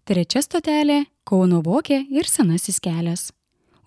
Trečia stotelė – Kauno Vokė ir Senasis kelias.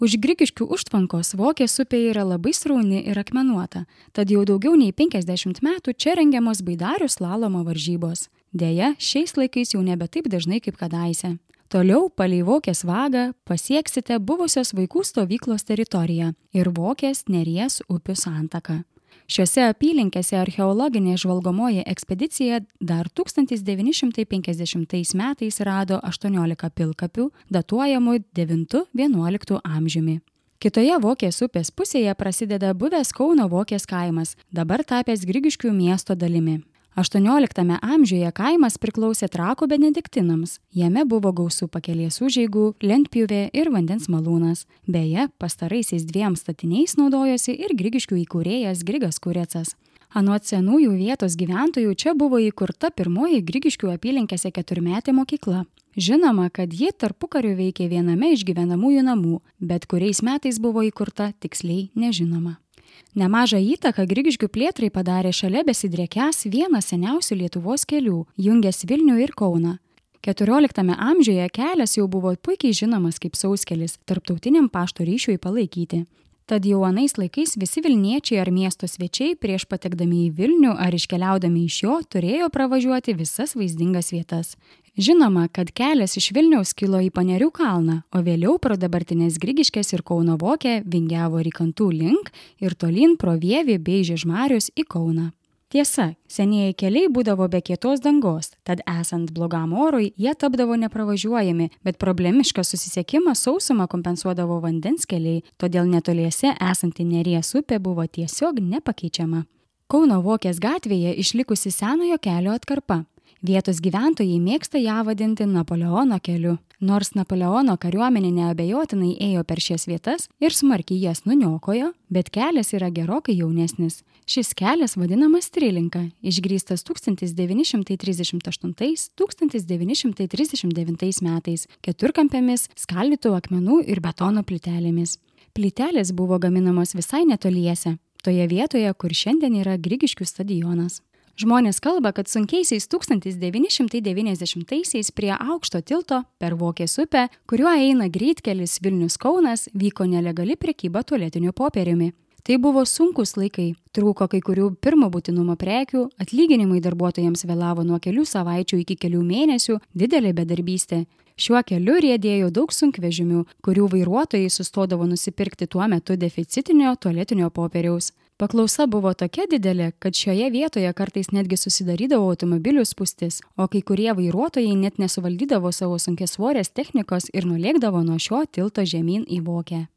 Už Grigiškių užtvankos Vokės upė yra labai srauni ir akmenuota, tad jau daugiau nei 50 metų čia rengiamos baidarių slalomo varžybos. Deja, šiais laikais jau nebe taip dažnai kaip kadaise. Toliau palei Vokės vagą pasieksite buvusios vaikų stovyklos teritoriją ir Vokės Neries upių santaką. Šiuose apylinkėse archeologinė žvalgomoji ekspedicija dar 1950 metais rado 18 pilkapių, datuojamų 9–11 amžiumi. Kitoje Vokės upės pusėje prasideda buvęs Kauno Vokės kaimas, dabar tapęs Grigiškių miesto dalimi. 18 amžiuje kaimas priklausė Trakų benediktinams. Jame buvo gausu pakelės užeigų, lentpjūvė ir vandens malūnas. Beje, pastaraisiais 2 statiniais naudojosi ir Grigiškių įkūrėjas Grigas Kurecas. Anot senųjų vietos gyventojų čia buvo įkurta pirmoji Grigiškių apylinkėse 4-metė mokykla. Žinoma, kad ji tarpukariu veikė viename iš gyvenamųjų namų, bet kuriais metais buvo įkurta tiksliai nežinoma. Nemažą įtaką Grigiškių plėtrai padarė šalia besidriekiąs vienas seniausių Lietuvos kelių, jungęs Vilnių ir Kauną. 14 amžiuje kelias jau buvo puikiai žinomas kaip sauskelis tarptautiniam pašto ryšiui palaikyti. Tad jau anais laikais visi Vilniečiai ar miesto svečiai prieš patekdami į Vilnių ar iškeliaudami iš jo turėjo pravažiuoti visas vaizdingas vietas. Žinoma, kad kelias iš Vilniaus kilo į Panerių kalną, o vėliau pro dabartinės Grigiškės ir Kauno Vokę vingiavo Rykantų link ir tolyn pro Vievį bei Žiežmarius į Kauną. Tiesa, senieji keliai būdavo be kietos dangos, tad esant blogam orui jie tapdavo nepravažiuojami, bet problemišką susisiekimą sausumą kompensuodavo vandens keliai, todėl netoliese esanti Neries upė buvo tiesiog nepakeičiama. Kauno Vokės gatvėje išlikusi senojo kelio atkarpa. Vietos gyventojai mėgsta ją vadinti Napoleono keliu. Nors Napoleono kariuomenė neabejotinai ėjo per šias vietas ir smarkiai jas nuniokojo, bet kelias yra gerokai jaunesnis. Šis kelias vadinamas Trilinka, išgrįstas 1938–1939 metais, keturkampėmis, skaldytų akmenų ir betono plytelėmis. Plytelės buvo gaminamos visai netoliese, toje vietoje, kur šiandien yra Grigiškių stadionas. Žmonės kalba, kad sunkiaisiais 1990-aisiais prie aukšto tilto per Vokės upę, kuriuo eina greitkelis Vilnius-Kaunas, vyko nelegali prekyba tualetiniu popieriumi. Tai buvo sunkus laikai, trūko kai kurių pirmo būtinumo prekių, atlyginimai darbuotojams vėlavo nuo kelių savaičių iki kelių mėnesių, didelė bedarbystė. Šiuo keliu riedėjo daug sunkvežimių, kurių vairuotojai sustodavo nusipirkti tuo metu deficitinio tualetinio popieriaus. Paklausa buvo tokia didelė, kad šioje vietoje kartais netgi susidarydavo automobilių spūstis, o kai kurie vairuotojai net nesuvaldydavo savo sunkiasvorės technikos ir nulėkdavo nuo šio tilto žemyn į Vokę.